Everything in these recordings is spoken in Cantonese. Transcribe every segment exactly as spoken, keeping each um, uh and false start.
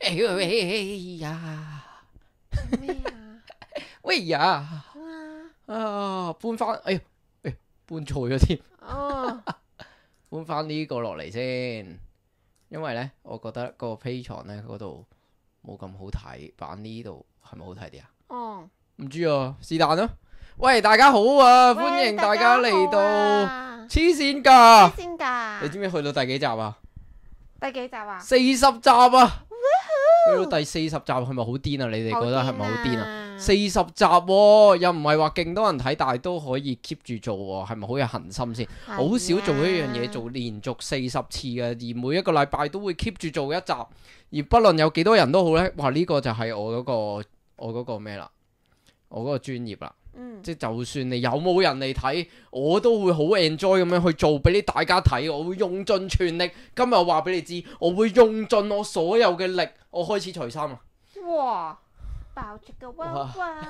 哎呀，咩啊？喂呀，啊搬翻，哎呀，哎搬錯咗添，哦，搬翻呢個落嚟先，因為咧，我覺得個 Patreon 咧嗰度冇咁好睇，版呢度係咪好睇啲啊？哦，唔知啊，是但啦。喂，大家好啊，喂歡迎大家嚟到黐黐線㗎，線㗎。你知唔知去到第幾集啊？第幾集啊？四十集啊！去到第四十集係咪好癲啊？你哋覺得係咪好癲啊？四十集喎，又唔係話勁多人睇，但係都可以 keep 住做喎，係咪好有恒心先？好少做一樣嘢做連續四十次嘅，而每一個禮拜都會 keep 住做一集，而不論有幾多人都好呢。哇！呢個就係我嗰個我嗰個咩啦，我嗰個專業啦。嗯，即係就算你有冇人嚟睇，我都會好 enjoy 咁樣去做俾你大家睇，我會用盡全力。今日我話俾你知，我會用盡我所有嘅力。我開始除衫啊！哇，爆竹嘅哇哇！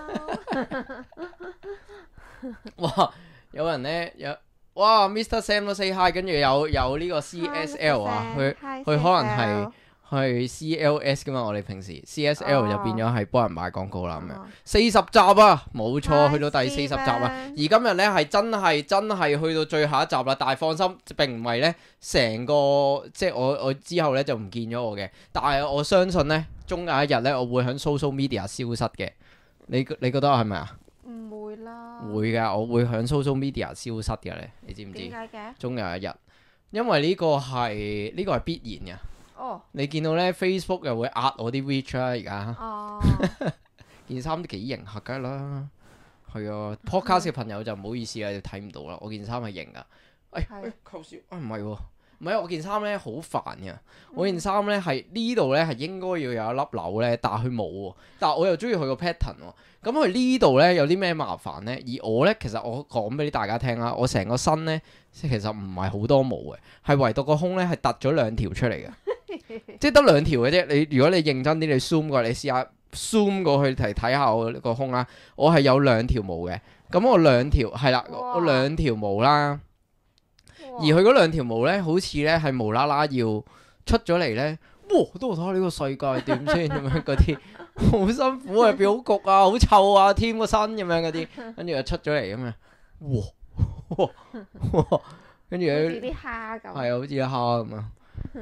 哇！有人呢，有哇 Mister Sam 都 say hi，跟住有有呢個 C S L 啊，佢佢可能係。係 C L S 噶嘛，我哋平時 C S L 就變咗係幫人賣廣告啦咁樣。四十集啊，冇錯，去到第四十集啊。而今日呢，係真係真係去到最後一集啦，但係放心，並唔係呢成個即係我我之後呢就唔見咗我嘅，但係我相信呢，終有一日呢，我會喺 social media 消失嘅。你你覺得係咪啊？唔會啦。會㗎，我會喺 social media 消失嘅咧，你知唔知？點解嘅？終有一日，因為呢個係呢個係必然嘅。哦，你見到咧 Facebook 又會壓我啲 reach 啦，而家哦，件衫都幾型下㗎啦，係啊 podcast 嘅朋友就唔好意思啦，你睇唔到啦，我件衫係型噶，哎哎扣少啊唔係喎，唔係我件衫咧好煩嘅，我件衫咧係呢度咧係應該要有一粒紐咧，但係佢冇喎，但係我又中意佢個 pattern 喎，咁佢呢度咧有啲咩麻煩咧？而我咧其實我講俾大家聽啦，我成個身咧其實唔係好多毛嘅，係唯獨個胸咧係突咗兩條出嚟嘅。即係得兩條嘅啫，你如果你認真啲，你 zoom 過，你試下 zoom 過去睇睇下我個胸啦。我係有兩條毛嘅，咁我兩條係啦，我兩條毛啦。而佢嗰兩條毛咧，好似咧係無啦啦要出咗嚟咧。哇！都睇下呢個世界點先咁樣嗰啲，好辛苦啊，變好焗啊，好臭啊，添個身咁樣嗰啲，跟住又出咗嚟咁樣。哇！哇！跟住好似啲蝦咁。係啊，好似啲蝦咁啊。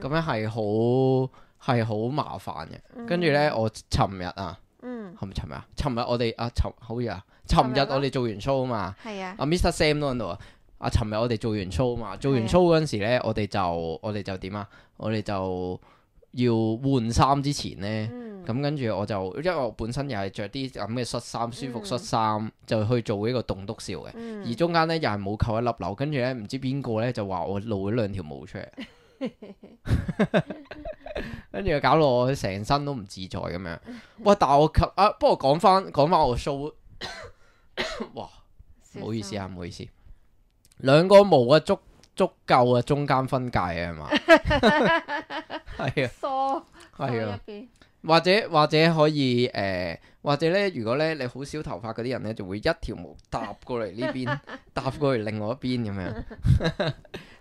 咁樣係好係好麻煩嘅，跟住呢，我尋日啊，係咪尋日啊？尋日我哋啊尋好似啊，尋日我哋做完 show 啊嘛，阿 Mister Sam 都喺度啊，啊尋日我哋做完 show 啊嘛，做完 show 嗰陣時呢，我哋就我哋就點啊？我哋就要換衫之前呢，咁跟住我就因為我本身又係着啲咁嘅恤衫，舒服恤衫，就去做呢個棟篤笑嘅，而中間呢，又係冇扣一粒紐，跟住呢，唔知邊個呢，就話我露咗兩條毛出嚟。跟住搞到我成身都唔自在咁樣，哇！但係我及啊，不過講翻講翻我 show，哇！唔好意思啊，唔好意思，兩個毛啊足足夠啊，中間分界啊係嘛，係啊，梳係啊，或者或者可以誒、呃，或者咧，如果咧你好少頭髮嗰啲人咧，就會一條毛搭過嚟呢邊，搭過嚟另外一邊咁樣。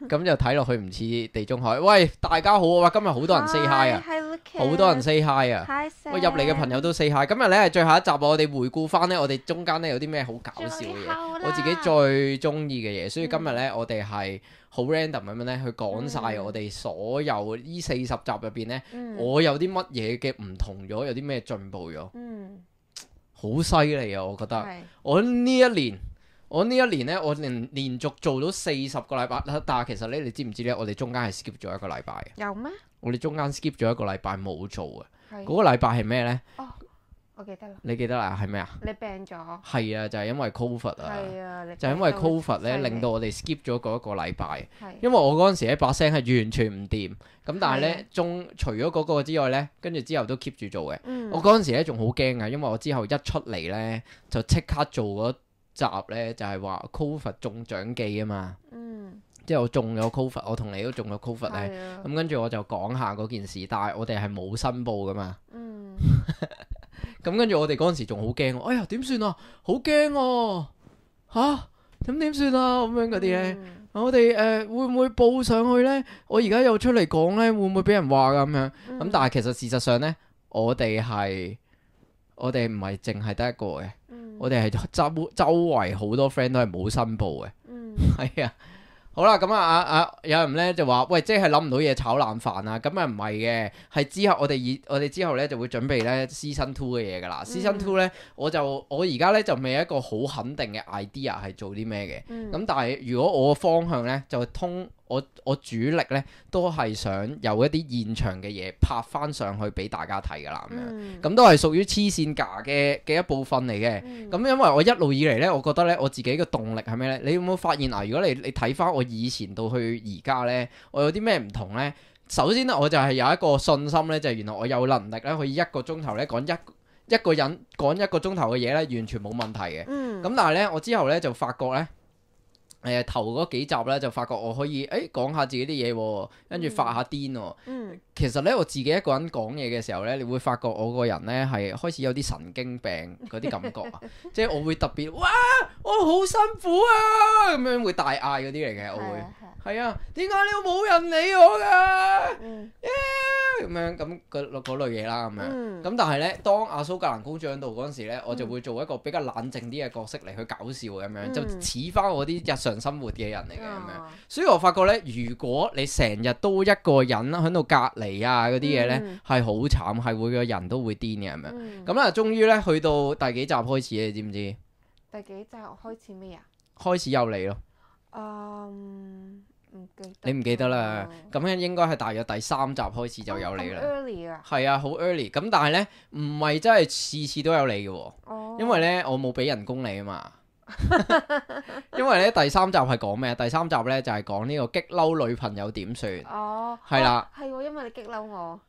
咁就睇落去唔似地中海。喂，大家好啊！今日好多人 say hi 啊，好多人 say hi 啊。喂，入嚟嘅朋友都 say hi。今日咧係最後一集，我哋回顧翻咧，我哋中間咧有啲咩好搞笑嘅嘢，我自己最中意嘅嘢。所以今日咧，我哋係好 random 咁樣咧去講晒我哋所有呢四十集入邊咧，我有啲乜嘢嘅唔同咗，有啲咩進步咗。嗯，好犀利啊！我覺得我呢一年。我呢一年咧，我連連續做到四十個禮拜，但係其實咧，你知唔知咧？我哋中間係 skip 咗一個禮拜嘅。有咩？我哋中間 skip 咗一個禮拜冇做嘅。嗰個禮拜係咩咧？哦，我記得啦。你記得啦？係咩啊？你病咗？係啊，就係因為 Covid 啊。係啊，就係因為 Covid 咧，令到我哋 skip 咗嗰一個禮拜。係。因為我嗰陣時咧把聲係完全唔掂，咁但係咧，中除咗嗰個之外咧，跟住之後都 keep 住做嘅。我嗰陣時咧仲好驚啊，因為我之後一出嚟咧就即刻做嗰集咧就係話 Covid 中獎記啊嘛，嗯，即係我中咗 Covid，我同你都中咗 Covid 咧，咁跟住我就講下嗰件事，但係我哋係冇申報噶嘛，嗯，咁跟住我哋嗰陣時仲好驚，哎呀點算啊，好驚喎，吓咁點算啊咁樣嗰啲咧，我哋誒、呃、會唔會報上去咧？我而家又出嚟講咧，會唔會俾人話噶咁樣？咁、嗯、但係其實事實上咧。我哋係我哋唔係淨係得一個嘅，嗯我哋係周周圍好多 friend 都係冇申報嘅，嗯係啊。好啦，咁啊啊啊！有人咧就話：喂，即係諗唔到嘢炒冷飯啊！咁啊唔係嘅，係之後我哋以我哋之後咧就會準備咧 season two 嘅嘢噶啦。season two 咧，我就我而家咧就未一個好肯定嘅 idea 係做啲咩嘅。咁、嗯但係如果我嘅方向咧就通我我主力咧都係想有一啲現場嘅嘢拍翻上去俾大家睇噶啦咁樣。嗯咁都係屬於黐線架嘅嘅一部分嚟嘅。嗯咁因為我一路以嚟咧，我覺得咧我自己嘅動力係咩咧？你有冇發現啊？如果你你睇翻我以前到去而家咧，我有啲咩唔同咧？首先咧，我就係有一個信心咧，就係原來我有能力咧，可以一個鐘頭咧講一一個人講一個鐘頭嘅嘢咧，完全冇問題嘅。咁、嗯但係咧，我之後咧就發覺咧。誒、呃、頭嗰幾集咧就發覺我可以誒講下自己啲嘢喎，跟住發下癲喎。嗯其實咧我自己一個人講嘢嘅時候咧，你會發覺我個人咧係開始有啲神經病嗰啲感覺啊，即係我會特別哇，我好辛苦啊咁樣會大嗌嗰啲嚟嘅，我會係啊係啊係啊，點解你冇人理我㗎？嗯咁樣咁嗰嗰類嘢啦咁樣。嗯咁但係咧，當阿蘇格蘭公主喺度嗰陣時咧，我就會做一個比較冷靜啲嘅角色嚟去搞笑咁樣，嗯就似翻我啲日常生活嘅人嚟嘅咁樣。哦所以我發覺咧，如果你成日都一個人喺度隔離啊嗰啲嘢咧，嗯係好慘，係會個人都會癲嘅咁樣。嗯咁啊，終於咧去到第幾集開始，你知唔知？第幾集開始咩啊？開始有你咯，嗯，唔記得。你唔記得啦？咁樣應該係大約第三集開始就有你啦。 early 啊。係啊，好 early。咁但係咧，唔係真係次次都有你嘅喎。哦。因為咧，我冇俾人工你啊嘛。因為咧，第三集係講咩？第三集咧就係講呢個激嬲女朋友點算。哦。係啦。係喎，因為你激嬲我。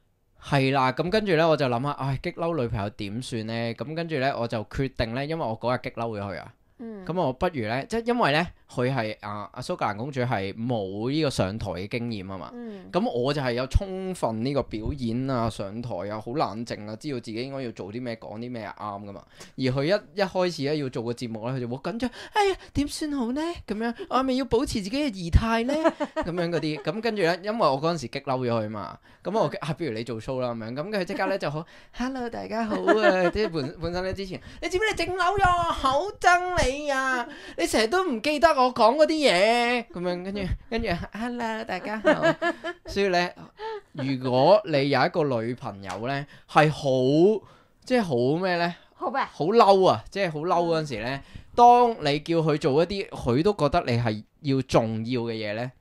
係啦，咁跟住咧，我就諗下，唉，激嬲女朋友點算咧？咁跟住咧，我就決定咧，因為我嗰日激嬲咗佢啊。嗯。咁我不如咧，即係因為咧，佢係啊阿蘇格蘭公主係冇呢個上台嘅經驗啊嘛。嗯。咁我就係有充分呢個表演啊，上台啊，好冷靜啊，知道自己應該要做啲咩，講啲咩係啱噶嘛。而佢一一開始咧要做個節目咧，佢就好緊張，哎呀點算好呢？咁樣我係咪要保持自己嘅儀態呢？咁樣嗰啲，咁跟住咧，因為我嗰陣時激嬲咗佢嘛，咁我啊不如你做 show 啦咁樣，咁佢即刻咧就好，hello 大家好啊，即係本本身咧之前，你知唔知你整嬲咗我，好憎你啊！你成日都唔記得我講嗰啲嘢，咁樣跟住跟住，hello 大家好。所以咧，如果你有一個女朋友咧，係好即係好咩咧？好咩？好嬲啊！即係好嬲嗰陣時咧，當你叫佢做一啲佢都覺得你係要重要嘅嘢咧，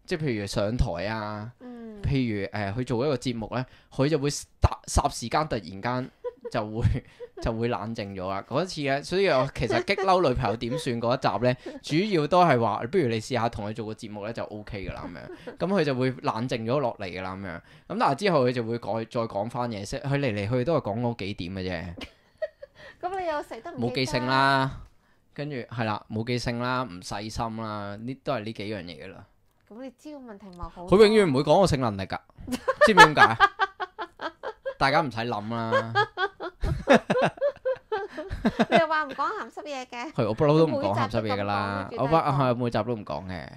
即係譬如上台啊，嗯。譬如誒、呃、去做一個節目咧，佢就會霎霎時間突然間就會就會冷靜咗啦。嗰一次咧，所以我其實激嬲女朋友點算嗰一集咧，主要都係話，不如你試下同佢做個節目咧就 O K 噶啦咁樣。咁佢就會冷靜咗落嚟噶啦咁樣。咁但係之後佢就會改再講翻嘢，即係佢嚟嚟去去都係講嗰幾點嘅啫。咁你又食得唔冇記性啦，跟住係啦，冇記性啦，唔細心啦，呢都係呢幾樣嘢噶啦。咁你知個問題咪好？佢永遠唔會講我性能力㗎，知唔知點解？大家唔使諗啦。你又話唔講鹹濕嘢嘅？係我不嬲都唔講鹹濕嘢㗎啦，每集都咁講我不係每集都唔講嘅。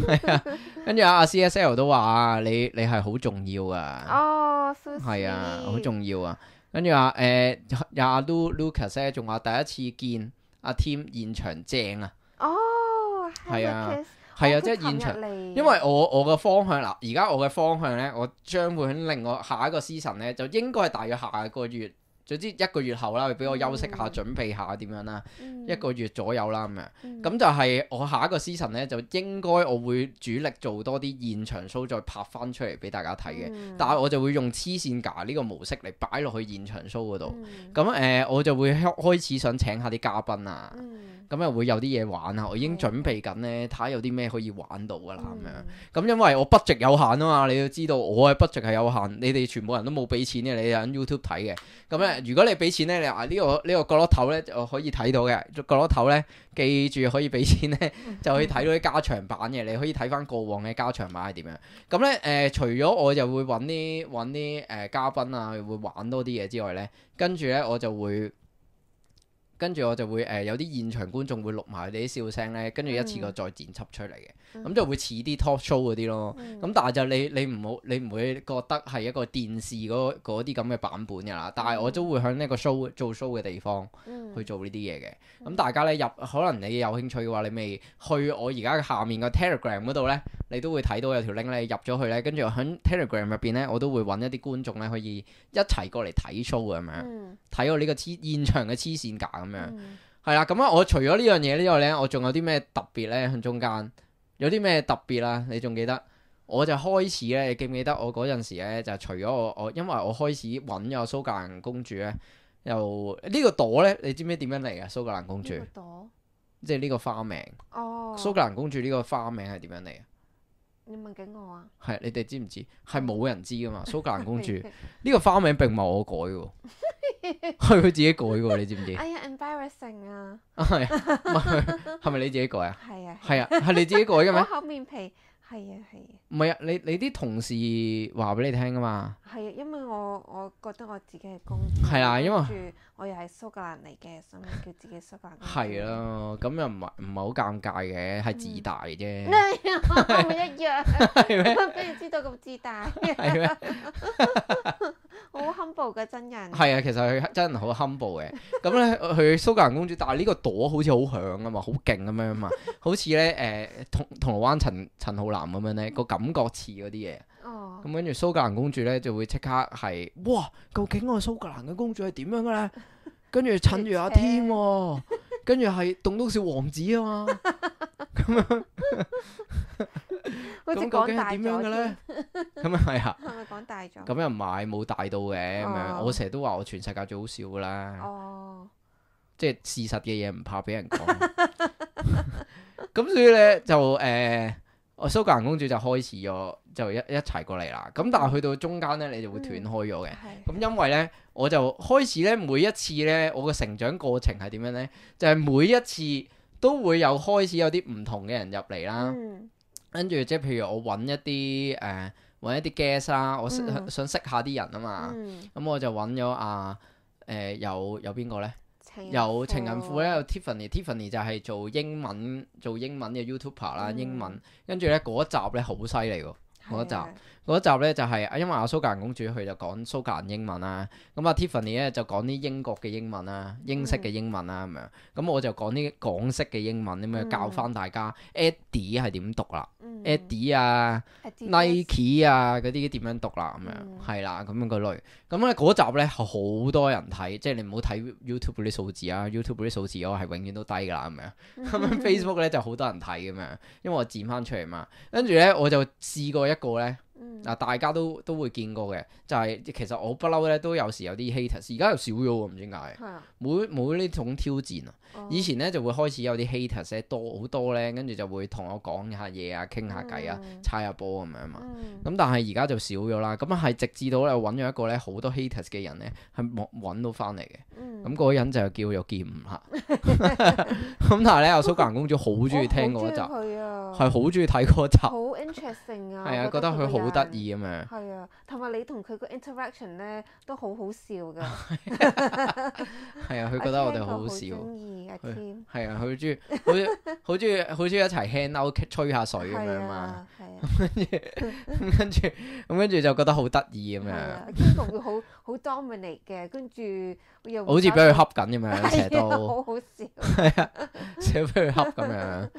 係啊，跟住阿阿 C S L 都話你你係好重要啊，哦，係啊，好重要啊。跟住話誒，有阿 Lu Lucas 咧，仲話第一次見阿 Tim 現場正啊，哦，係啊。 Lucas 係啊，哦即係現場，佢琴日嚟因為我我嘅方向嗱，而家我嘅方向咧，我將會喺另外下一個 season 咧，就應該係大約下個月，總之一個月後啦，俾我休息下，嗯準備下點樣啦，嗯一個月左右啦咁樣。嗯咁就係我下一個 season 咧，就應該我會主力做多啲現場 show，再拍翻出嚟俾大家睇嘅。嗯但係我就會用黐線架呢個模式嚟擺落去現場 show 嗰度。嗯咁誒、呃，我就會開開始想請下啲嘉賓啊。嗯咁又會有啲嘢玩啊！我已經係準備緊咧，睇下有啲咩可以玩到噶啦咁樣。嗯咁因為我 budget 有限啊嘛，你要知道我嘅 budget 係有限，你哋全部人都冇俾錢嘅，你喺 YouTube 睇嘅。咁咧，如果你俾錢咧，你話呢、呢個呢、呢個角落頭咧就可以睇到嘅，角落頭咧記住可以俾錢咧，就可以睇到啲加長版嘅，你可以睇翻過往嘅加長版係點樣。咁咧誒，除咗我就會揾啲揾啲誒嘉賓啊，會玩多啲嘢之外咧，跟住咧我就會。跟住我就會誒、呃、有啲現場觀眾會錄埋佢哋啲笑聲咧，跟住一次過再剪輯出嚟嘅，咁、嗯就會似啲 talk show 嗰啲咯。咁、嗯但係就你你唔好你唔會覺得係一個電視嗰嗰啲咁嘅版本㗎啦。但係我都會喺呢個 show 做 show 嘅地方嗯去做呢啲嘢嘅。咁、大家咧入可能你有興趣嘅話，你咪去我而家下面個 Telegram 嗰度咧，你都會睇到有條 link 咧，入咗去咧，跟住喺 Telegram 入邊咧，我都會揾一啲觀眾咧可以一齊過嚟睇 show 咁樣，嗯睇我呢個黐現場嘅黐線架咁樣。嗯係啦，咁啊，我除咗呢樣嘢之外咧，我仲有啲咩特別咧？喺中間有啲咩特別啊？你仲記得？我就開始咧，你記唔記得我嗰陣時咧？就除咗我我，因為我開始揾咗蘇格蘭公主咧，又呢、呢個朵咧，你知唔知點樣嚟啊？蘇格蘭公主，呢個朵即係呢個花名。哦，蘇格蘭公主呢個花名係點樣嚟啊？你問緊我啊？係你哋知唔知？係冇人知噶嘛？蘇格蘭公主呢個花名並唔係我改嘅，係佢自己改嘅，你知唔知？哎呀，embarrassing 啊！係啊，唔係係咪你自己改啊？係啊，係啊，係你自己改嘅咩？我厚面皮，係啊係啊唔係啊，你你啲同事話俾你聽噶嘛？係啊，因為我我覺得我自己係公主，係啊因為跟住我又係蘇格蘭嚟嘅，所以叫自己蘇格蘭公主。係咯，咁又唔係唔係好尷尬嘅，係自大啫，我咪一樣，係咩？俾人知道咁自大，係咩？好 humble 嘅真人。係啊，其實佢真係好 humble 嘅。咁咧，佢蘇格蘭公主，但係呢個朵好似好響啊嘛，好勁咁樣啊嘛，好似咧誒銅銅鑼灣陳陳浩南咁樣咧，個感覺似嗰啲嘢。哦，咁跟住蘇格蘭公主咧就會即刻係哇，究竟我蘇格蘭嘅公主係點樣嘅咧？跟住襯住阿添喎，跟住係棟篤笑王子啊嘛，咁樣好似咁究竟係講大咗點樣嘅咧添，？咁啊係啊，係咪講大咗？咁又唔係冇大到嘅咁樣。哦我成日都話我全世界最好笑噶啦，哦，即係事實嘅嘢唔怕俾人講。咁所以咧就誒，我蘇格蘭公主就開始咗，就一一齊過嚟啦。咁但係去到中間咧，你就會斷開咗嘅。係咁因為咧，我就開始咧，每一次咧，我嘅成長過程係點樣咧？就係、每一次都會有開始有啲唔同嘅人入嚟啦。嗯跟住即係譬如我揾一啲誒揾一啲 guest 啦，我識嗯想識下啲人啊嘛。嗯，咁我就揾咗啊誒有有邊個咧？情有情人婦咧，有 Tiffany，Tiffany 就係做英文做英文嘅 YouTuber 啦，嗯英文。跟住咧嗰一集咧好犀利喎，嗰一集。係啊嗰一集咧就係、因為阿蘇格蘭公主佢就講蘇格蘭英文啦，咁啊 Tiffany 咧就講啲英國嘅英文啦，英式嘅英文啦咁樣，咁我就講啲港式嘅英文咁樣教翻大家 Eddie 係點讀啦嗯，Eddie 啊 Adidas Nike 啊嗰啲點樣讀啦咁樣，嗯係啦咁樣個類，咁咧嗰集咧好多人睇，即係你唔好睇 YouTube 嗰啲數字啊，YouTube 嗰啲數字我係永遠都低㗎啦咁樣，咁樣 Facebook 咧就好多人睇咁樣，因為我剪翻出嚟嘛，跟住咧我就試過一個咧。嗯嗱，大家都都會見過嘅，就係、其實我不嬲咧都有時有啲 haters，而家又少咗喎，唔知點解，係啊冇冇呢種挑戰啊。哦以前咧就會開始有啲 haters 咧多好多咧，跟住就會同我講下嘢啊，傾下偈啊，嗯猜下波咁樣嘛。嗯咁但係而家就少咗啦。咁係直至到咧揾咗一個咧好多 haters 嘅人咧，係揾揾到翻嚟嘅。嗯咁嗰個人就叫做劍五啦。咁但係咧，阿蘇格蘭公主好中意聽嗰集，我好中意佢啊，係好中意睇嗰集，好 interesting 啊，係啊，我覺得佢好得意。意咁樣。係啊，同埋你同佢個 interaction 咧都好好笑噶。係啊，佢覺得我哋好好笑。中意阿佢 Tim，係啊，佢中意，好中好中意，好中意一齊 hang out 吹下水咁樣嘛。係啊，係啊，咁跟住，咁跟住就覺得好得意咁樣，係啊，Kim 會好好 dominate 嘅，跟住又好似俾佢恰緊咁樣，成日係啊都好好笑。係啊，成日俾佢恰咁樣。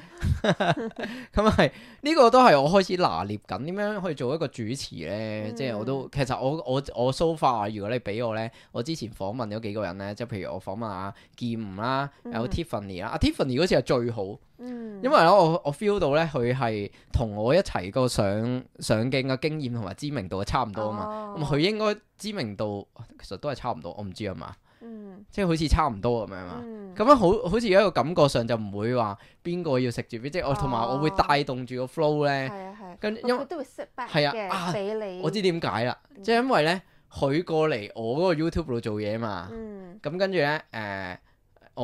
咁係呢個都係我開始拿捏緊點樣去做一個主持咧，嗯即係我都其實我我我 so far，如果你俾我咧，我之前訪問咗幾個人咧，即係譬如我訪問阿劍吳啦，有 Tiffany 啦，阿 Tiffany 嗰次係最好。嗯，因為咧，我我 feel 到咧，佢係同我一齊個上上鏡嘅經驗同埋知名度係差唔多啊嘛。咁佢、哦應該知名度其實都係差唔多，我唔知啊嘛。嗯即係好似差唔多咁樣嘛。嗯咁樣好好似有一個感覺上就唔會話邊個要食住邊，即係我同埋我會哦帶動住個 flow 咧。係啊係，跟因為佢都會 sit back 係啊啊嘅，俾你。我知點解啦，即係因為咧佢過嚟我嗰個 YouTube 度做嘢嘛。嗯咁跟住咧誒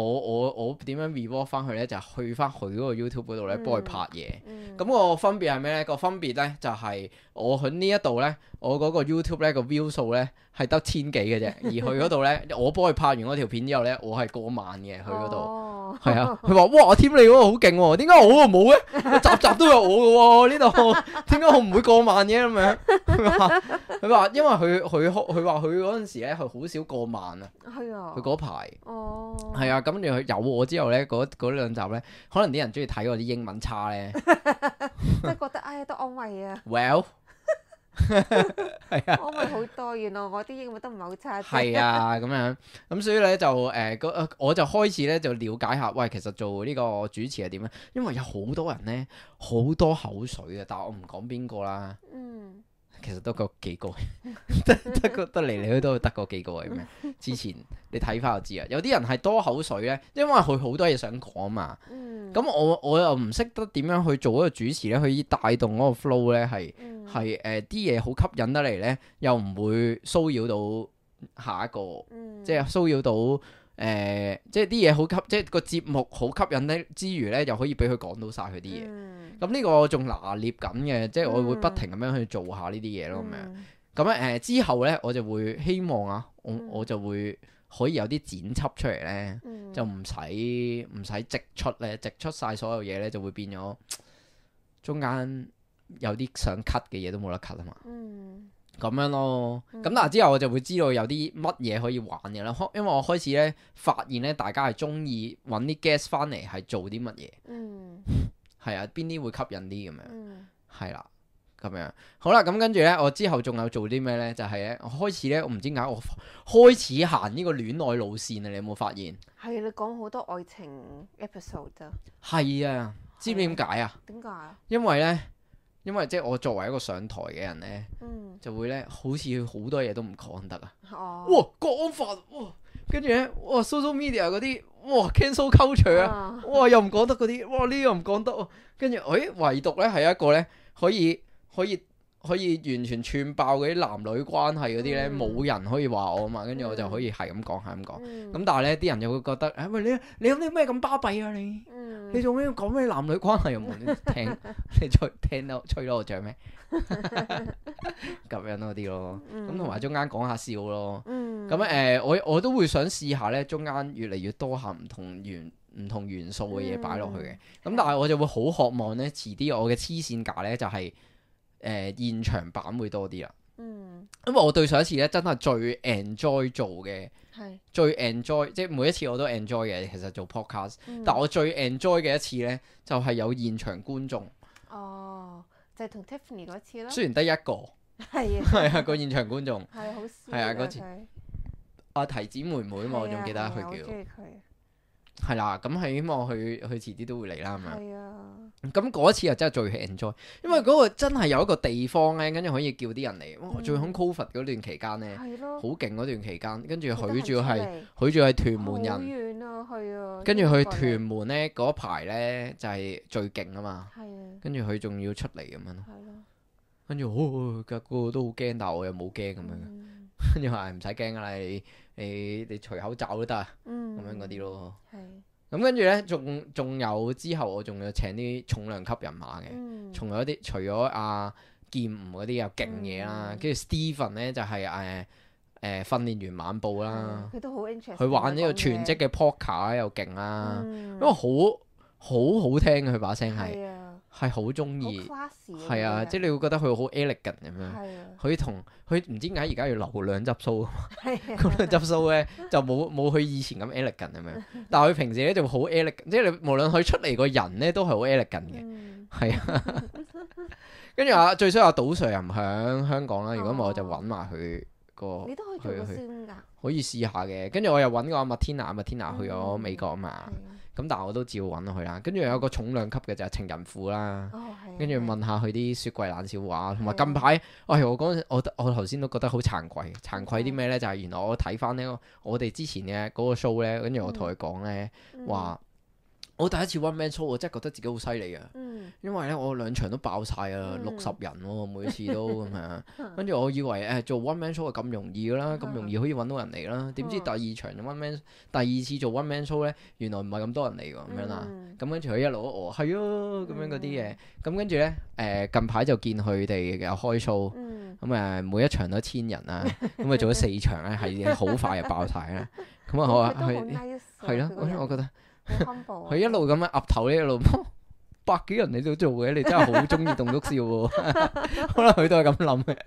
我我我點樣 reward 翻佢咧？就係、去翻佢嗰個 YouTube 嗰度咧，幫佢拍嘢。嗯咁、個分別係咩咧？個分別咧就係、我喺呢一度咧，我嗰個 YouTube 咧個 view 數咧係得千幾嘅啫，而佢嗰度咧，我幫佢拍完嗰條片之後咧，我係過萬嘅佢嗰度。哦係啊，佢話哇，添你嗰個好勁喎，點解我嗰個冇嘅？集集都有我嘅喎，呢度點解我唔會過萬嘅咁樣？佢話佢話因為佢佢佢話佢嗰陣時咧，佢好少過萬啊。係啊。佢嗰排哦。係啊，咁跟住佢有我之後咧，嗰嗰兩集咧，可能啲人中意睇我啲英文差咧。即係覺得哎呀都安慰啊， Well 係啊。安慰好多。原來我啲英文都唔係好差啫。係啊，咁樣咁所以咧就誒，嗰、呃我就開始咧就了解下，喂，其實做呢個主持係點咧？因為有好多人咧好多口水嘅，但係我唔講邊個啦。嗯。其實都嗰幾個，得得個得嚟嚟去都得嗰幾個係咩？之前你睇翻就知啊。有啲人係多口水咧，因為佢好多嘢想講嘛。嗯。咁我我又唔識得點樣去做一個主持咧，去帶動嗰個 flow 咧，係嗯係誒啲嘢好吸引得嚟咧，又唔會騷擾到下一個，嗯即係騷擾到誒、呃，即係啲嘢好吸，即係個節目好吸引咧之餘咧，又可以俾佢講到晒佢啲嘢。嗯咁呢個我仲拿捏緊嘅，即係我會不停咁樣去做下呢啲嘢咯，咁樣、嗯咁咧誒之後咧，我就會希望啊，我嗯我就會可以有啲剪輯出嚟咧，嗯就唔使唔使直出咧，直出晒所有嘢咧，就會變咗中間有啲想 cut 嘅嘢都冇得 cut 啊嘛。嗯咁樣咯，咁、嗯但係之後我就會知道有啲乜嘢可以玩嘅啦，開因為我開始咧發現咧，大家係中意揾啲 guest 翻嚟係做啲乜嘢，嗯係啊，邊啲會吸引啲咁樣。嗯係啦，咁樣好啦，咁跟住呢，我之後仲有做啲咩呢？就係呢，我開始呢，我唔知點解我開始行呢個戀愛路線啊！你有冇發現？係你講好多愛情 episode 咋？係啊，知唔知點解啊？點解啊？因為呢，因為即係我作為一個上台嘅人呢，嗯就會呢，好似好多嘢都唔講得啊！哦哇，國安法哇，跟住呢，哇 social media 嗰啲哇 cancel culture 啊！啊哇，又唔講得嗰啲，哇呢個唔講得喎，跟住，誒唯獨咧係一個咧可以可以可以完全串爆嗰啲男女關係嗰啲咧，嗯冇人可以話我啊嘛，跟住我就可以係咁講係咁講，咁、嗯但係咧啲人就會覺得，誒喂你你有啲咩咁巴閉啊你？嗯你做咩要講咩男女關係又冇人聽？你吹聽到吹到我脹咩？咁樣嗰啲咯，咁同埋中間講下笑咯。嗯咁誒、呃我我都會想試下咧，中間越嚟越多下唔同元唔同元素嘅嘢擺落去嘅。咁、嗯但係我就會好渴望咧，遲啲我嘅黐線架咧就係、誒、呃、現場版會多啲啦。嗯因為我對上一次咧真係最 enjoy 做嘅，係最 enjoy 即係每一次我都 enjoy 嘅。其實做 podcast，、嗯但我最 enjoy 嘅一次咧就係、有現場觀眾，哦就係同 Tiffany 嗰次啦。雖然得一個，係啊係啊個現場觀眾係好 sweet 係啊嗰次佢阿提子妹妹啊嘛，我仲記得係啊係啊我佢叫中意佢。係啦。咁係希望佢佢遲啲都會嚟啦咁樣。係啊咁嗰一次又真係最 enjoy，因為嗰個真係有一個地方咧，跟住可以叫啲人嚟。哇！嗯最響 Covid 嗰段期間咧，係咯好勁嗰段期間，跟住佢得閒仲要係出嚟佢仲係屯門好人，遠啊，係啊。跟住去英國嚟屯門咧嗰排咧就係最勁啊嘛。係啊，跟住佢仲要出嚟咁樣咯，係咯。跟住哦，個個都好驚，但係我又冇驚咁樣。嗯跟住話唔使驚噶啦，你你你除口罩都得啊，嗯咁樣嗰啲咯。係咁跟住咧，仲仲有之後，我仲要請啲重量級人馬嘅。嗯仲有一啲除咗阿劍吳嗰啲有勁嘢啦，嗯跟住 Steven 咧就係誒誒訓練員晚報啦，佢都好 interest。佢玩呢個全職嘅 poker 又勁啦，嗯因為好好好聽嘅佢把聲係係啊，係好中好意， classy 係啊，即係你會覺得佢好 elegant 咁樣。係啊，佢同佢唔知點解而家要留兩執須，係嗰兩執須咧就冇冇佢以前咁 elegant 咁樣，但係佢平時咧就好 elegant，即係你無論佢出嚟個人咧都係好 elegant 嘅。嗯係啊，跟住啊，最衰阿賭 Sir 又唔響香港啦，如果唔係我就揾埋佢個你都可以做個去去先㗎。可以試下嘅。跟住我又揾個阿麥天娜，阿麥天娜去咗嗯美國啊嘛，係啊咁但係我都照揾佢啦。跟住有個重量級嘅就係情人婦啦，哦係啊。跟住係啊問下佢啲雪櫃冷笑話，同埋係啊近排，喂我嗰陣我我頭先都覺得好慚愧，慚愧啲咩呢？就係原來我睇翻呢，我哋之前嘅嗰個 show 呢，跟住我同佢講呢嗯話。我第一次 one man show 我真係覺得自己好犀利啊！嗯因為咧我兩場都爆晒啊，嗯六十人喎、每次都咁樣，跟住我以為誒、做 one man show 係咁容易噶啦，咁容易可以揾到人嚟啦，點知第二場 one man 第二次做 one man show 咧，原來唔係咁多人嚟喎，咁樣啦，嗯咁跟住佢一路都哦係啊咁樣嗰啲嘢，咁跟住咧誒近排就見佢哋有開 show，嗯咁誒每一場都千人啊，咁啊做咗四場咧係好快就爆晒啦，咁啊好啊佢都好佢 nice 啊係咯，佢個人我覺得。好 humble 啊佢一路咁樣岌頭呢，一路百幾人你都做嘅，你真係好中意棟篤笑喎。可能佢都係咁諗嘅。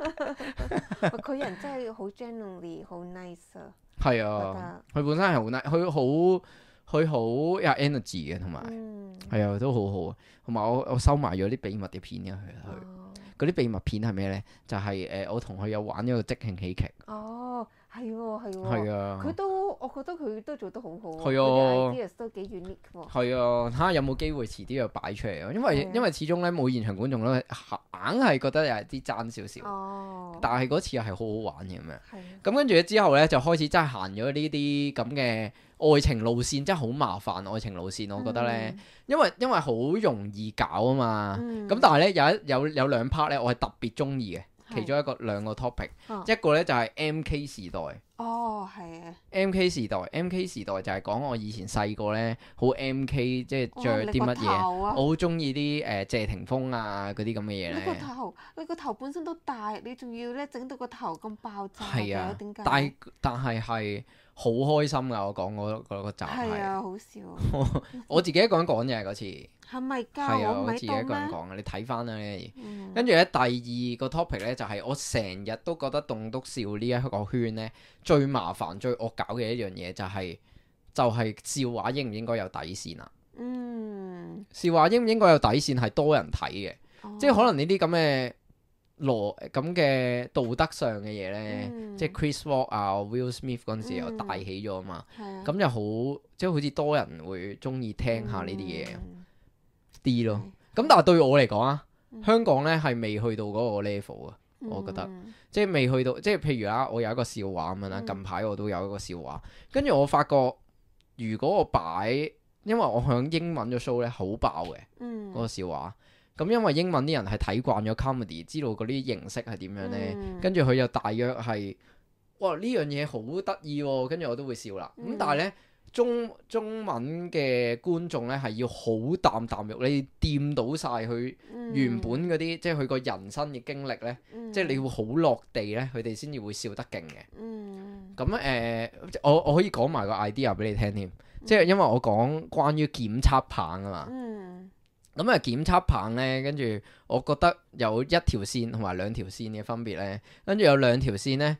佢人真係好 genuinely 好 nice 啊，係覺啊，得佢本身係好 nice，佢好佢好有 energy 嘅，同埋嗯係啊都好好啊。同埋我我收埋咗啲秘密嘅片嘅佢佢哦嗰啲秘密片係咩咧？就係、誒、我同佢有玩咗個即興喜劇。哦係喎係喎，係啊佢都我覺得佢都做得好好係啊佢啲 ideas 都幾 unique 喎。係啊，睇下有冇機會遲啲又擺出嚟啊！因為係啊因為始終咧冇現場觀眾咧，硬係覺得有啲爭少少。哦，但係嗰次又係好好玩嘅咁樣。係啊咁跟住之後咧，就開始真係行咗呢啲咁嘅愛情路線，真係好麻煩愛情路線。我覺得咧，因為因為好容易搞啊嘛。嗯咁但係咧有一有有兩 part 咧，我係特別中意嘅。係其中一個兩個 topic，哦一個咧就係 M K 時代。哦係啊， M K 時代，M K 時代就係講我以前細個咧，好 M K，即係着啲乜嘢。嘢我好中意啲誒謝霆鋒啊嗰啲咁嘅嘢你個咧。頭，你個頭本身都大，你仲要咧整到個頭咁爆炸係啊嘅，點解？但係但係係好開心㗎！我講嗰嗰個集係。係啊，好笑，我自己一個人講嘅嗰次，係咪㗎？係啊，我唔我自己一喺度咩？個人講嘅，你睇翻啦呢。嗯跟住咧，第二個 topic 咧就係、我成日都覺得棟篤笑呢一個圈咧最麻煩、最惡搞嘅一樣嘢就係、就係、笑話應唔應該有底線啊？嗯，笑話應唔應該有底線係多人睇嘅，哦即係可能呢啲咁嘅邏咁嘅道德上嘅嘢咧，嗯即係 Chris Rock 啊、Will Smith 嗰陣時又大起咗啊嘛，係啊，咁就好即係好似多人會中意聽下呢啲嘢。嗯啲咯，係咁但係對我嚟講啊，嗯香港咧係未去到嗰個 level 啊，我覺得嗯即係未去到，即係譬如啊，我有一個笑話咁樣啦，嗯近排我都有一個笑話，跟住我發覺如果我擺，因為我響英文嘅 show 咧好爆嘅嗯嗰個笑話，咁因為英文啲人係睇慣咗 comedy，知道嗰啲形式係點樣咧，嗯跟住佢又大約係，哇呢樣嘢好得意喎，跟住我都會笑啦，咁嗯但係咧。中中文嘅觀眾咧係要好啖啖肉，你掂到晒佢原本嗰啲，即係佢個人生嘅經歷咧，嗯即係你會好落地咧，佢哋先至會笑得勁嘅。嗯咁誒、呃我我可以講埋個 idea 俾你聽添，即係因為我講關於檢測棒啊嘛。嗯咁啊檢測棒咧，跟住我覺得有一條線同埋兩條線嘅分別咧，跟住有兩條線咧。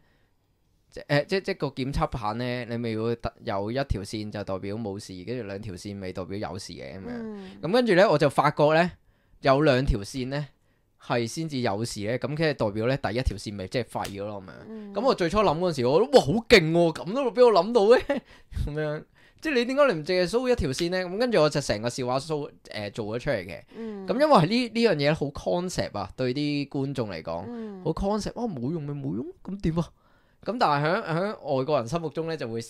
誒、呃、即即個檢測棒咧，你咪會特有一條線就代表冇事，跟住兩條線咪代表有事嘅咁樣。嗯咁跟住咧，我就發覺咧有兩條線咧係先至有事咧，咁即係代表咧第一條線咪即係廢咗咯咁樣。嗯咁我最初諗嗰陣時，我覺得哇好勁喎，咁都俾我諗到嘅咁樣。即係你點解你唔淨係 show 一條線咧？咁跟住我就成個笑話 show 誒、呃、做咗出嚟嘅。嗯咁因為係呢呢樣嘢好 concept 啊，對啲觀眾嚟講嗯好 concept。哇冇用咪冇用，咁點啊？咁但係喺喺外國人心目中咧就會，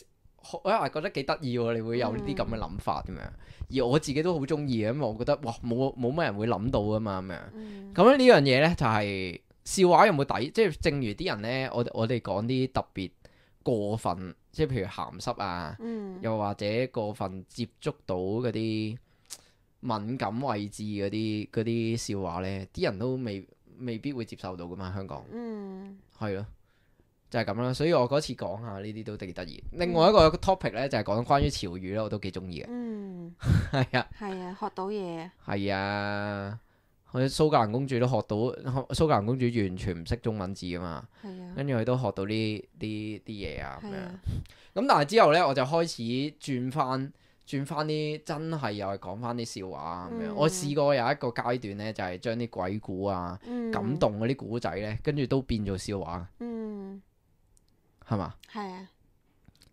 我係覺得幾得意喎，你會有呢啲咁嘅諗法咁樣。而我自己都好中意嘅，因為我覺得哇冇冇乜人會諗到噶嘛咁樣。嗯咁咧呢樣嘢咧就係、笑話有冇底？即係正如啲人咧，我我哋講啲特別過分，即係譬如鹹濕啊，嗯又或者過分接觸到嗰啲敏感位置嗰啲嗰啲笑話咧，啲人都未未必會接受到噶嘛，香港嗯係咯。就係咁啦，所以我嗰次講下呢啲都幾得意。另外一個 topic 咧就係、是、講關於潮語咧，我都幾中意嘅。嗯係啊，係啊，學到嘢。係啊，佢蘇格蘭公主都學到，蘇格蘭公主完全唔識中文字噶嘛，係啊，跟住佢都學到呢啲啲嘢啊咁樣。係啊，咁但係之後咧，我就開始轉翻轉翻啲真係又係講翻啲笑話啊咁樣。嗯我試過有一個階段咧，就係將啲鬼故啊、嗯感動嗰啲古仔咧，跟住都變做笑話，嗯，係嘛？係啊，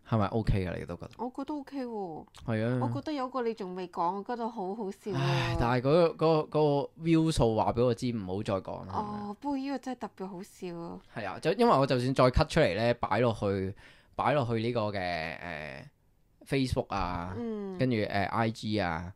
係咪 OK 嘅？你都覺得？我覺得 OK 喎。係啊。我覺得有個你仲未講，我覺得好好笑唉喎。，但係嗰個嗰個嗰個 view 數話俾我知，唔好再講啦。係咪哦，不過呢個真係特別好笑啊！係啊，就因為我就算再 cut 出嚟咧，擺落去擺落去呢個嘅誒、呃 Facebook 啊，嗯，跟住誒 I G 啊，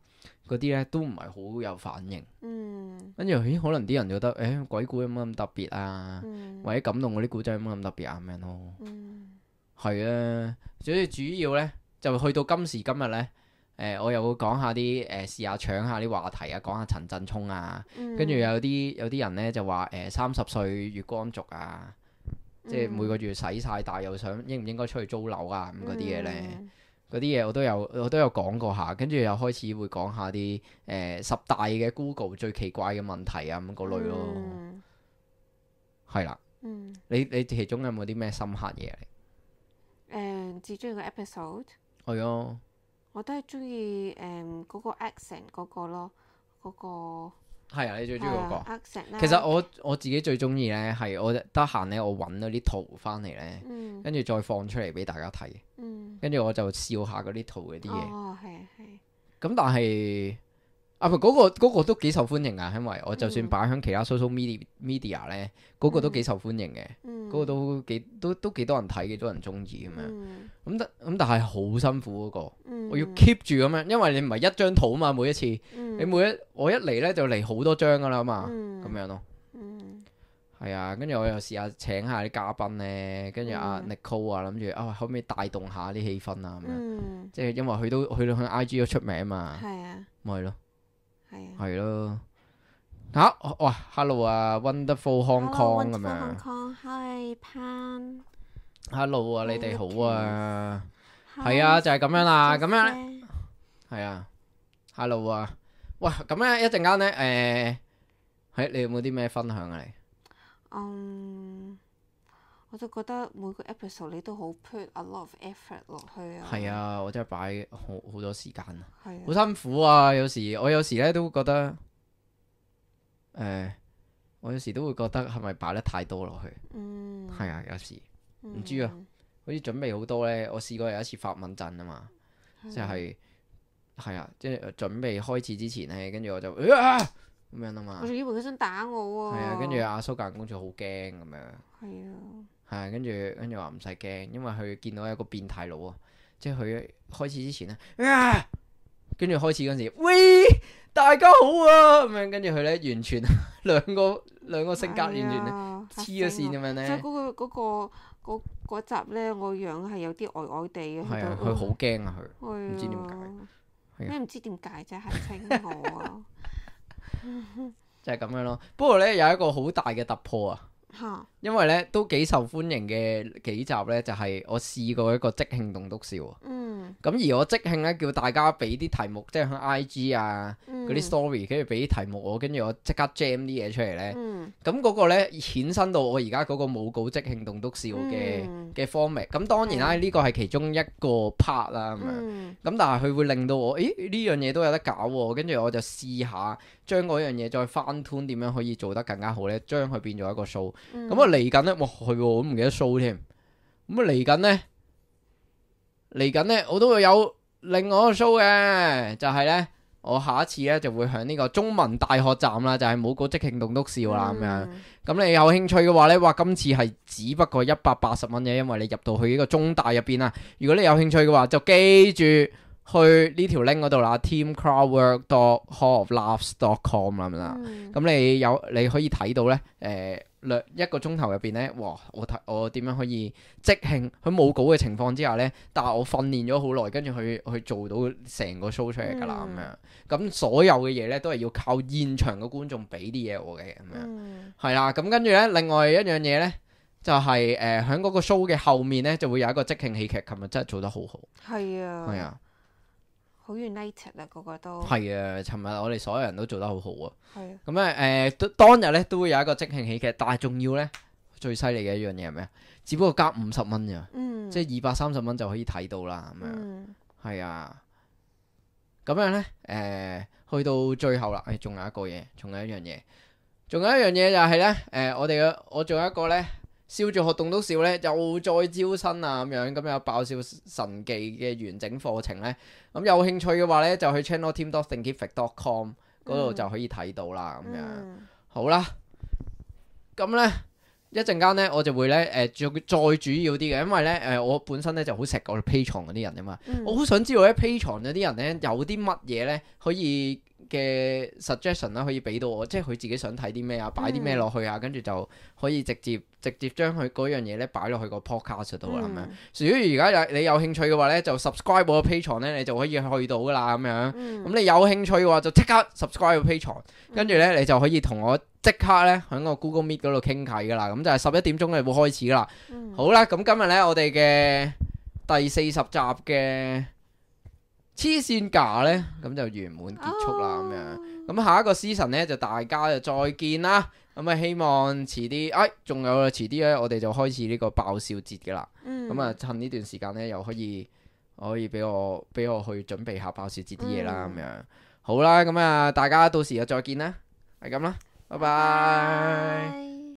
嗰啲咧都唔係好有反應。嗯跟住咦，可能啲人覺得誒鬼故有乜咁特別啊，嗯或者感動嗰啲古仔有乜咁特別啊咁樣咯。嗯係啊，所以主要咧就去到今時今日咧，誒、我又會講下啲誒試下搶下啲話題啊，講下陳振聰啊，嗯跟住有啲有啲人咧就話誒三十歲月光族啊，即係每個月使晒，但係又想應唔應該出去租樓啊咁嗰啲嘢咧。嗯嗰啲嘢我都有我都有講過下，跟住又開始會講下啲誒、呃十大嘅 Google 最奇怪嘅問題啊咁嗰類咯，嗯係啦、嗯你你其中有冇啲咩深刻嘢嚟？誒最中意個 episode，係啊，我都係中意誒嗰個 accent 嗰個咯，嗰個係啊，你最中意嗰個？係啊 accent 啦。其實我我自己最中意咧係我得閒咧，我揾咗啲圖翻嚟咧，嗯跟住再放出嚟俾大家睇，嗯跟住我就笑下嗰啲圖嗰啲嘢。哦係啊係。咁但係啊，唔係嗰個嗰個都幾受歡迎啊，因為我就算擺喺其他 social media media 咧，嗰個都幾受歡迎嘅，嗯嗰個都幾都都幾多人睇，幾多人中意咁樣。嗯咁但咁但係好辛苦嗰個，嗯我要 keep 住咁樣，因為你唔係一張圖啊嘛，每一次你嗯每一我一嚟咧就嚟好多張噶啦嘛，嗯咁樣咯。嗯係啊，跟住我又試下請下啲嘉賓咧，跟住阿嗯 Nicole 啊，諗住啊可唔可以帶動下啲氣氛啊咁樣，嗯即係因為佢都佢喺 I G 都出名嘛，係啊咪係咯。係啊。係咯，嚇、哇，hello 啊，Wonderful Hong Kong 咁樣 Hong Kong Hi Pan ，hello 啊，你哋好啊， Hi 係啊，就係咁樣啦，咁樣咧， Joseph 係啊，hello 啊，喂，咁咧一陣間咧，誒，係你有冇啲咩分享啊？你嗯，我就覺得每個 episode 你都好 put a lot of effort 落去啊。係啊，我真係擺好好多時間啊，係啊。好辛苦啊，有時我有時咧都覺得，誒，我有時都會覺得係咪擺得太多落去？嗯。係啊，有時唔知啊好似準備好多咧，我試過有一次發問陣啊嘛。嗯即係係啊，即係準備開始之前咧，跟住我就啊咁樣啊嘛我，仲以為佢想打我啊。係啊，跟住阿蘇格公主好驚咁樣，係啊。係啊，跟住跟住話唔使驚，因為佢見到一個變態佬啊，即係佢開始之前咧啊，跟住開始嗰陣時，喂大家好啊咁樣，跟住佢咧完全兩個兩個性格完全咧黐黐咗線咁樣所以咧，嗰個嗰個嗰嗰集咧，我樣係有啲呆呆地嘅。係啊，佢好驚啊佢，唔唔知點解係啊咩唔知點解啫？係稱我啊就係咁樣咯。不過咧有一個好大嘅突破啊！嚇。因為咧都幾受歡迎嘅幾集咧，就係、我試過一個即興棟篤笑啊。嗯。咁而我即興咧叫大家俾啲題目，即係喺 I G 啊嗰嗰啲 story，跟住俾啲題目我，跟住我即刻 jam 啲嘢出嚟咧。嗯。咁嗰個咧衍生到我而家嗰個冇稿即興棟篤笑嘅嗯嘅 format。咁當然啦，係呢個係其中一個 part 啦咁樣。嗯。咁但係佢會令到我，咦呢樣嘢都有得搞喎，跟住我就試下將嗰樣嘢再翻 tune 點樣可以做得更加好咧，將佢變做一個 show。咁啊嚟緊咧，哇係喎，我都唔記得 show 添。咁啊嚟緊咧，嚟緊咧我都會有另外一個 show 嘅，就係咧我下一次咧就會喺呢個中文大學站啦，就係冇稿即興棟篤笑啦咁樣。咁你有興趣嘅話咧，哇！今次係只不過一百八十蚊嘅，因為你入到去呢個中大入邊啊。如果你有興趣嘅話，就記住去呢條 link 嗰度啦 team crowdwork dot hall of laughs dot com 啦咁啦。咁你有你可以睇到咧，誒兩一個鐘頭入邊咧，哇！我睇我點樣可以即興喺冇稿嘅情況之下咧，但係我訓練咗好耐，跟住去去做到成個 show 出嚟㗎啦咁樣。咁所有嘅嘢咧都係要靠現場嘅觀眾俾啲嘢我嘅咁樣。嗯。係啦，咁跟住咧，另外一樣嘢咧，就係誒喺嗰個 show 嘅後面咧，就會有一個即興喜劇，琴日真係做得好好。係啊。係啊，好 united 啊，個個都。係啊，尋日我哋所有人都做得好好啊。係啊。咁咧誒，當日咧都會有一個即興喜劇，但係仲要咧最犀利嘅一樣嘢係咩啊？只不過加五十蚊咋，嗯。即係二百三十蚊就可以睇到啦。咁樣嗯。係啊，咁樣咧誒，去到最後啦，誒仲有一個嘢，仲有一樣嘢。仲有一樣嘢就係咧，誒、呃、我哋嘅我仲有一個咧，笑住學棟篤笑咧，又再招生啊咁樣，咁有爆笑神技嘅完整課程咧，咁有興趣嘅話咧，就去 channel team dot thinkific dot com 嗰度就可以睇到啦，咁樣、嗯。好啦，咁咧一陣間咧，我就會咧誒，再、再主要啲嘅，因為咧誒、呃，我本身咧就好錫我 Patreon 嗰啲人啊嘛，嗯我好想知道咧 Patreon 嗰啲人咧有啲乜嘢咧可以嘅 suggestion 啦，可以俾到我，即係佢自己想睇啲咩啊，擺啲咩落去啊，跟住就可以直接直接將佢嗰樣嘢咧擺落去個 podcast 度啦咁樣。如果而家有你有興趣嘅話咧，就 subscribe 我個 Patreon 咧，你就可以去到噶啦咁樣。咁、嗯、你有興趣嘅話，就即刻 subscribe 個 Patreon，跟住咧你就可以同我即刻咧喺個 Google Meet 嗰度傾偈噶啦。咁就係十一點鐘就會開始噶啦。嗯、好啦，咁今日咧我哋嘅第四十集嘅黐線架咧，咁就圓滿結束啦咁樣。咁下一個 season 咧就大家就再見啦。咁啊希望遲啲，哎仲有遲啲咧，我哋就開始呢個爆笑節嘅啦。咁啊、嗯、趁呢段時間咧，又可以可以俾我俾我去準備下爆笑節啲嘢啦咁樣。好啦，咁啊大家到時又再見啦，係咁啦，拜拜。